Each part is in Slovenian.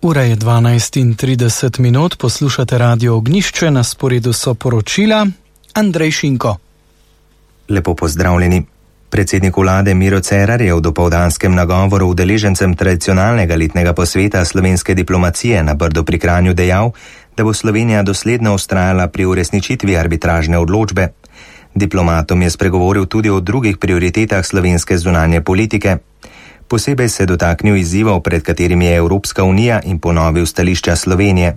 Ura je 12:30, poslušate Radio Ognjišče, na sporedu so poročila. Andrej Šinko. Lepo pozdravljeni. Predsednik vlade Miro Cerar je v dopoldanskem nagovoru udeležencem tradicionalnega letnega posveta slovenske diplomacije na Brdu pri Kranju dejal, da bo Slovenija dosledno vztrajala pri uresničitvi arbitražne odločbe. Diplomatom je spregovoril tudi o drugih prioritetah slovenske zunanje politike. Posebej se dotaknil izzivov, pred katerimi je Evropska unija, in ponovil stališča Slovenije.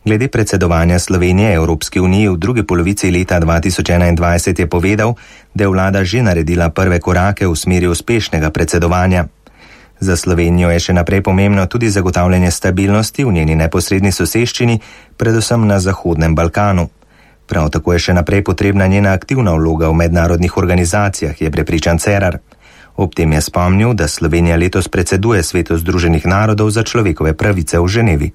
Glede predsedovanja Slovenije Evropski uniji v drugi polovici leta 2021 je povedal, da je vlada že naredila prve korake v smeri uspešnega predsedovanja. Za Slovenijo je še naprej pomembno tudi zagotavljanje stabilnosti v njeni neposredni soseščini, predvsem na Zahodnem Balkanu. Prav tako je še naprej potrebna njena aktivna vloga v mednarodnih organizacijah, je prepričan Cerar. Ob tem je spomnil, da Slovenija letos predseduje Svetu Združenih narodov za človekove pravice v Ženevi.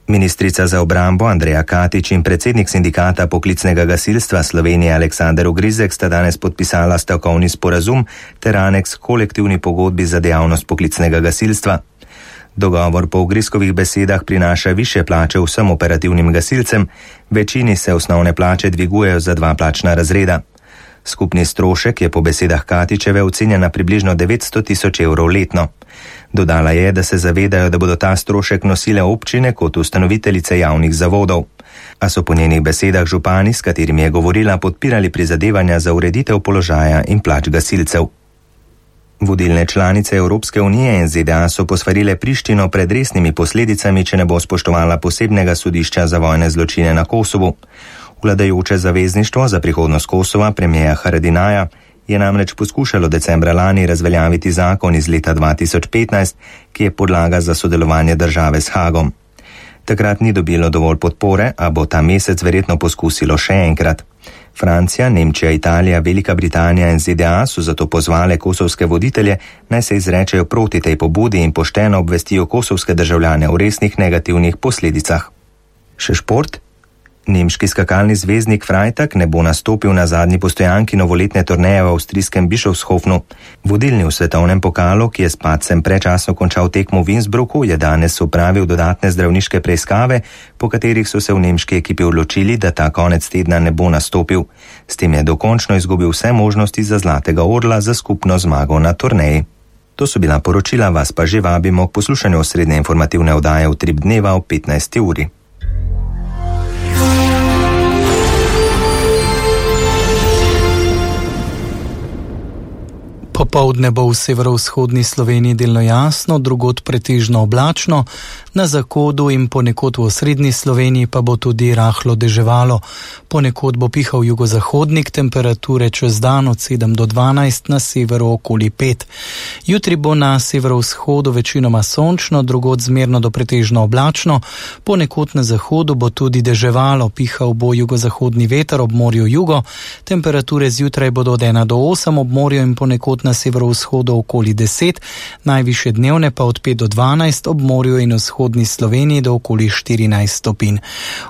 Ministrica za obrambo Andreja Katič in predsednik sindikata poklicnega gasilstva Slovenije Aleksander Ogrizek sta danes podpisala stavkovni sporazum ter aneks kolektivni pogodbi za dejavnost poklicnega gasilstva. Dogovor po Ogrizkovih besedah prinaša višje plače vsem operativnim gasilcem, večini se osnovne plače dvigujejo za 2 plačna razreda. Skupni strošek je po besedah Katičeve ocenjen na približno 900 tisoč evrov letno. Dodala je, da se zavedajo, da bodo ta strošek nosile občine kot ustanoviteljice javnih zavodov. A so po njenih besedah župani, s katerimi je govorila, podpirali prizadevanja za ureditev položaja in plač gasilcev. Vodilne članice Evropske unije in ZDA so posvarile Prištino pred resnimi posledicami, če ne bo spoštovala posebnega sodišča za vojne zločine na Kosovu. Vladajoče zavezništvo za prihodnost Kosova, premijeja Haradinaja, je namreč poskušalo decembra lani razveljaviti zakon iz leta 2015, ki je podlaga za sodelovanje države s Hagom. Takrat ni dobilo dovolj podpore, a bo ta mesec verjetno poskusilo še enkrat. Francija, Nemčija, Italija, Velika Britanija in ZDA so zato pozvale kosovske voditelje, naj se izrečejo proti tej pobudi in pošteno obvestijo kosovske državljane o resnih negativnih posledicah. Še šport? Nemški skakalni zvezdnik Freitag ne bo nastopil na zadnji postojanki novoletne turneje v avstrijskem Bischofshofenu. Vodilni v svetovnem pokalu, ki je s padcem predčasno končal tekmo v Innsbrucku, je danes opravil dodatne zdravniške preiskave, po katerih so se v nemški ekipi odločili, da ta konec tedna ne bo nastopil. S tem je dokončno izgubil vse možnosti za zlatega orla za skupno zmago na turneji. To so bila poročila, vas pa že vabimo k poslušanju osrednje informativne oddaje v Utrip dneva ob 15. uri. Popoldne bo v severovzhodni Sloveniji delno jasno, drugod pretežno oblačno, na zahodu in ponekod v osrednji Sloveniji pa bo tudi rahlo deževalo. Ponekod bo pihal jugozahodnik, temperature čez dan od 7 do 12, na severu okoli 5. Jutri bo na severovzhodu večinoma sončno, drugod zmerno do pretežno oblačno, ponekod na zahodu bo tudi deževalo, pihal bo jugozahodni veter ob morju jugo, temperature zjutraj bodo od 1 do 8 ob morju in ponekod na severovzhodu okoli 10, najvišje dnevne pa od 5 do 12 ob morju in vzhodni Sloveniji do okoli 14 stopinj.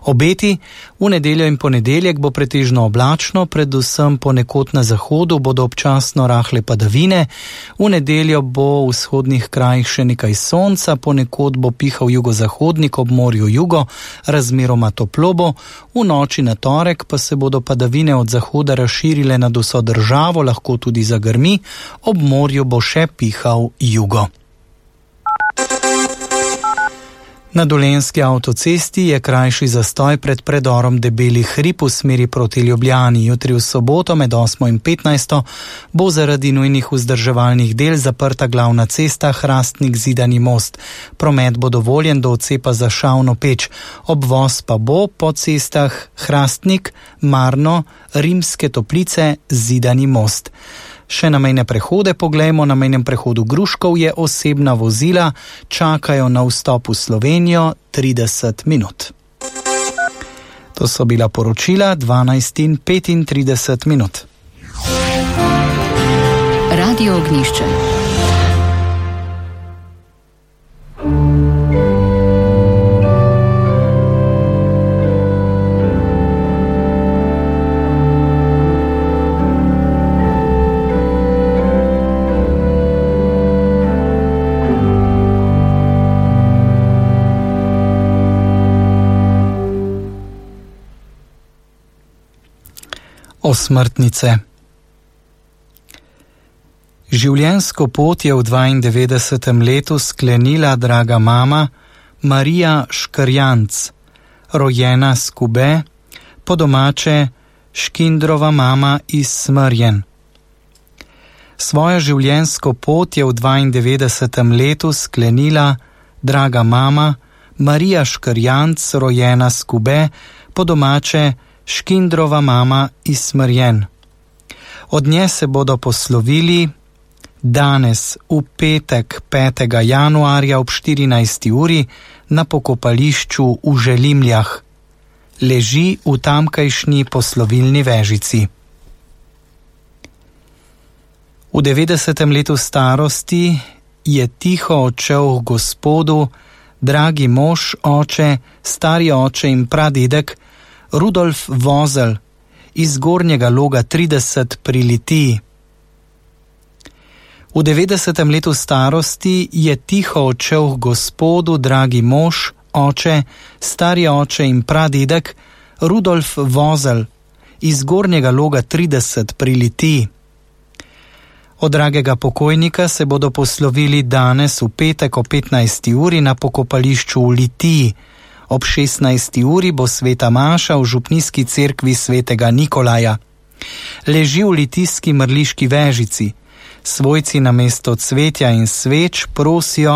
Obeti: v nedeljo in ponedeljek bo pretežno oblačno, predvsem ponekod na zahodu bodo občasno rahle padavine, v nedeljo bo v vzhodnih krajih še nekaj sonca, ponekod bo pihal jugozahodnik ob morju jugo, razmeroma toplo bo, v noči na torek pa se bodo padavine od zahoda razširile nad vso državo, lahko tudi zagrmi, ob morju bo še pihal jugo. Na Dolenjski avtocesti je krajši zastoj pred predorom Debeli hrib v smeri proti Ljubljani. Jutri v soboto med 8 in 15 bo zaradi nujnih vzdrževalnih del zaprta glavna cesta Hrastnik-Zidani most. Promet bo dovoljen do odcepa za Šavno Peč. Obvoz pa bo po cestah Hrastnik, Marno, Rimske Toplice, Zidani most. Še na mejne prehode poglejmo. Na mejnem prehodu Gruškov je osebna vozila, čakajo na vstop v Slovenijo 30 minut. To so bila poročila 12:35. Radio Ognjišče. Osmrtnice. Življenjsko pot je v 92. letu sklenila draga mama Marija Škrjanc, rojena Skube, po domače Škindrova mama iz Smrjen. Svojo življenjsko pot je v 92. letu sklenila draga mama Marija Škrjanc, rojena Skube, po domače Škindrova mama iz Smrjen. Od nje se bodo poslovili danes v petek 5. januarja ob 14. uri na pokopališču v Želimljah. Leži v tamkajšnji poslovilni vežici. V 90. letu starosti je tiho odšel k Gospodu dragi mož, oče, stari oče in pradedek Rudolf Vozel iz Gornjega Loga 30 pri Litiji. V 90. letu starosti je tiho odšel k Gospodu dragi mož, oče, stari oče in pradedek Rudolf Vozel iz Gornjega Loga 30 pri Litiji. Od dragega pokojnika se bodo poslovili danes v petek o 15. uri na pokopališču v Litiji. Ob 16. uri bo sveta maša v župnijski cerkvi svetega Nikolaja. Leži v litijski mrliški vežici. Svojci namesto cvetja in sveč prosijo